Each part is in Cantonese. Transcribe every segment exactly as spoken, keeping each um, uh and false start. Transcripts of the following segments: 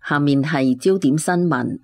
下面係焦點新聞。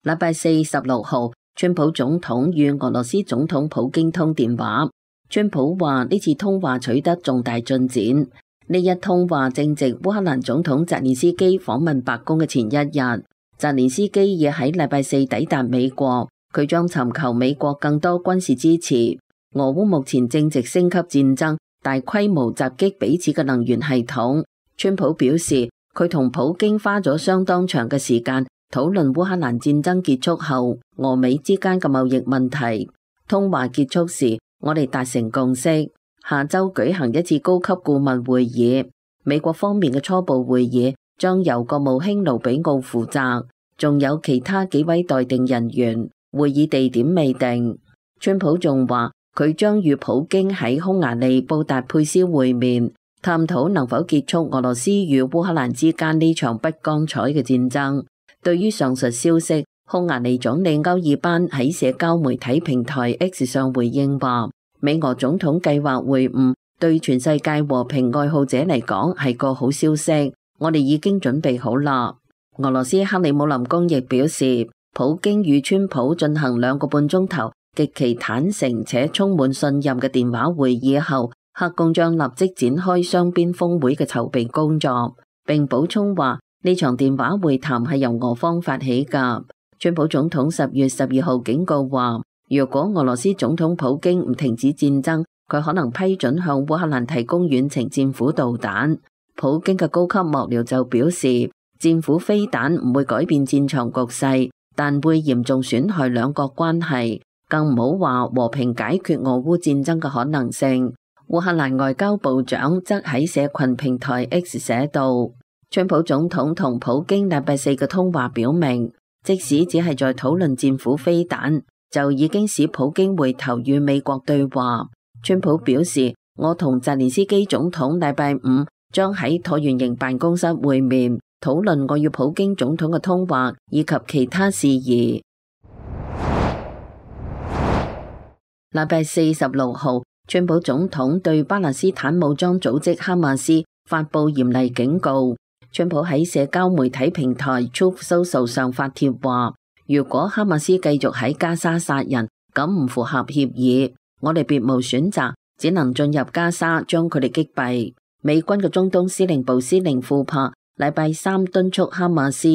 禮拜四十六號，川普總統與俄羅斯總統普京通電話。川普話呢次通話取得重大進展。呢一通話正值烏克蘭總統澤連斯基訪問白宮嘅前一日。澤連斯基已喺禮拜四抵達美國，佢將尋求美國更多軍事支持。俄烏目前正值升級戰爭，大規模襲擊彼此嘅能源系統。川普表示，佢同普京花咗相當長嘅時間討論烏克蘭戰爭結束後俄美之間嘅貿易問題。通話結束時，我哋達成共識，下周舉行一次高級顧問會議。美國方面嘅初步會議將由國務卿盧比奧負責，仲有其他幾位待定人員，會議地點未定。川普仲話佢將與普京喺匈牙利布達佩斯會面，探討能否結束俄羅斯與烏克蘭之間呢場不光彩嘅戰爭。對於上述消息，匈牙利總理歐爾班喺社交媒體平台 X 上回應話，美俄總統計劃會晤對全世界和平愛好者嚟講係個好消息，我哋已經準備好啦。俄羅斯克里姆林宮亦表示，普京與川普進行兩個半鐘頭極其坦誠且充滿信任嘅電話會議後，克宮將立即展開雙邊峰會嘅籌備工作，並補充話呢場電話會談係由俄方發起㗎。川普總統十月十二號警告話，如果俄羅斯總統普京唔停止戰爭，佢可能批准向烏克蘭提供遠程戰斧導彈。普京嘅高級幕僚就表示，戰斧飛彈唔會改變戰場局勢，但會嚴重損害兩國關係，更唔好話和平解決俄烏戰爭嘅可能性。烏克蘭外交部長則喺社群平台 X 寫道，川普總統同普京禮拜四嘅通話表明，即使只係在討論戰斧飛彈，就已經使普京回頭與美國對話。川普表示，我同澤連斯基總統禮拜五將喺橢圓形辦公室會面，討論我與普京總統嘅通話以及其他事宜。禮拜四十六號，川普總統對巴勒斯坦武裝組織哈馬斯發布嚴厲警告。川普喺社交媒體平台 Truth Social 上發帖話，如果哈馬斯繼續喺加沙殺人，咁唔符合協議，我哋別無選擇，只能進入加沙將佢哋擊斃。美軍嘅中東司令部司令庫珀禮拜三敦促哈馬斯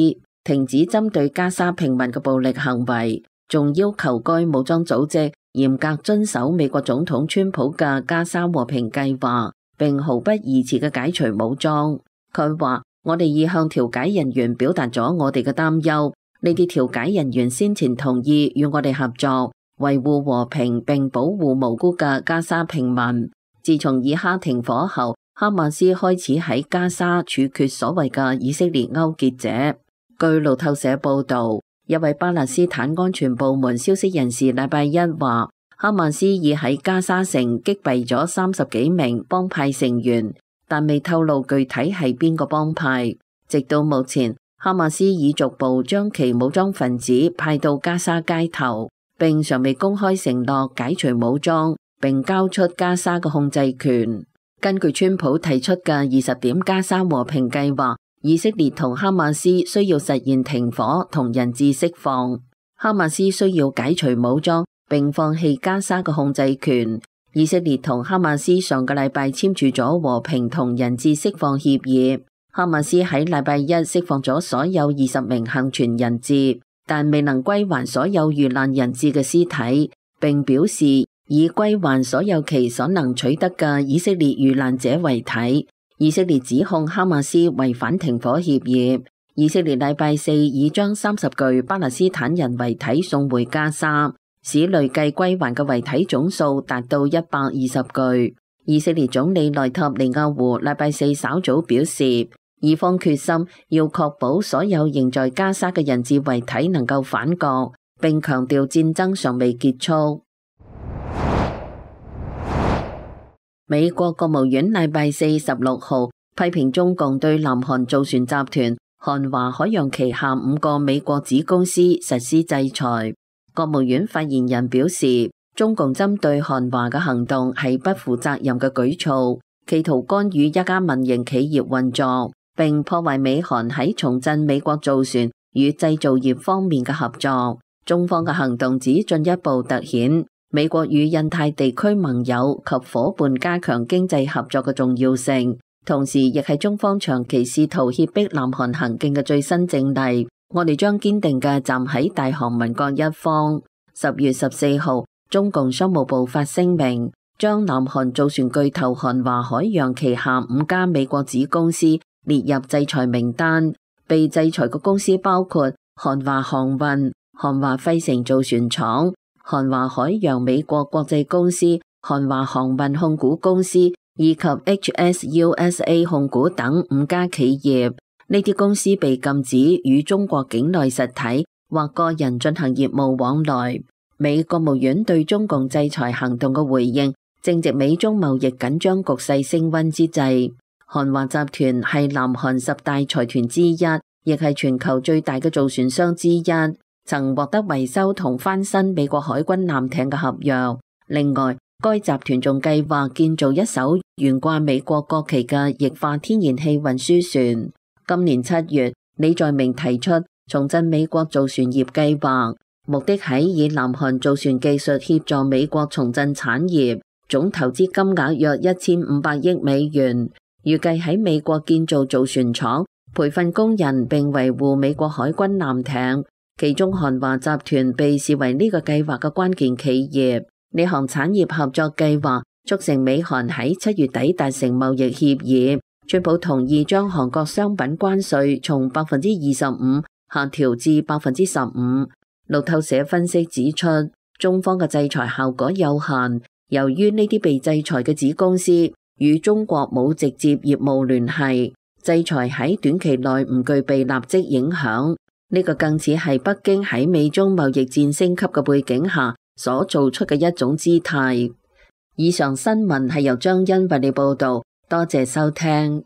停止針對加沙平民嘅暴力行為，仲要求該武裝組織嚴格遵守美國總統川普嘅加沙和平計劃，並毫不疑遲嘅解除武裝。佢話，我哋已向調解人員表達咗我哋嘅擔憂，呢啲調解人員先前同意與我哋合作，維護和平並保護無辜嘅加沙平民。自從以哈停火後，哈馬斯開始喺加沙處決所謂嘅以色列勾結者。據路透社報道，一位巴勒斯坦安全部門消息人士禮拜一話，哈馬斯已喺加沙城擊斃咗三十幾名幫派成員，但未透露具體係邊個幫派。直到目前，哈馬斯已逐步將其武裝分子派到加沙街頭，並尚未公開承諾解除武裝並交出加沙嘅控制權。根據川普提出嘅二十點加沙和平計劃，以色列同哈馬斯需要實現停火同人質釋放，哈馬斯需要解除武裝並放棄加沙嘅控制權。以色列同哈馬斯上個禮拜簽署咗和平同人質釋放協議，哈馬斯喺禮拜一釋放咗所有二十名幸存人質，但未能歸還所有遇難人質嘅屍體，並表示以歸還所有其所能取得嘅以色列遇難者為體。以色列指控哈馬斯違反停火協議。以色列禮拜四已將三十具巴勒斯坦人遺體送回加沙，使累計歸還嘅遺體總數達到一百二十具。以色列總理內塔尼亞胡禮拜四稍早表示，以方決心要確保所有仍在加沙嘅人質遺體能夠返國，並強調戰爭尚未結束。美國國務院禮拜四十六號批評中共對南韓造船集團韓華海洋旗下五個美國子公司實施制裁。國務院發言人表示，中共針對韓華嘅行動係不負責任嘅舉措，企圖干預一家民營企業運作，並破壞美韓喺重振美國造船與製造業方面嘅合作。中方嘅行動只進一步凸顯美國與印太地區盟友及夥伴加強經濟合作嘅重要性，同時亦係中方長期試圖脅迫南韓行徑嘅最新證例。我哋將堅定嘅站喺大韓民國一方。十月十四號，中共商務部發聲明，將南韓造船巨頭韓華海洋旗下五家美國子公司列入制裁名單。被制裁嘅公司包括韓華航運、韓華費城造船廠、韓華海洋美國國際公司、韓華航運控股公司以及 H S U S A 控股等五家企業。呢啲公司被禁止與中國境內實體或個人進行業務往來。美國務院對中共制裁行動嘅回應，正值美中貿易緊張局勢升溫之際。韓華集團係南韓十大財團之一，亦係全球最大嘅造船商之一，曾獲得維修同翻新美國海軍艦艇嘅合約。另外，該集團仲計劃建造一艘懸掛美國國旗嘅液化天然氣運輸船。今年七月，李在明提出重振美國造船業計劃，目的係以南韓造船技術協助美國重振產業，總投資金額約一千五百億美元，預計喺美國建造造船廠、培訓工人並維護美國海軍艦艇。其中韓華集團被視為呢個計劃嘅關鍵企業。呢項產業合作計劃促成美韓喺七月底達成貿易協議。川普同意將韓國商品關稅從百分之二十五下調至百分之十五。路透社分析指出，中方嘅制裁效果有限，由於呢啲被制裁嘅子公司與中國冇直接業務聯繫，制裁喺短期內唔具備立即影響。呢個更似係北京喺美中貿易戰升級嘅背景下所做出嘅一種姿態。以上新聞係由張欣為你報道。多謝收聽。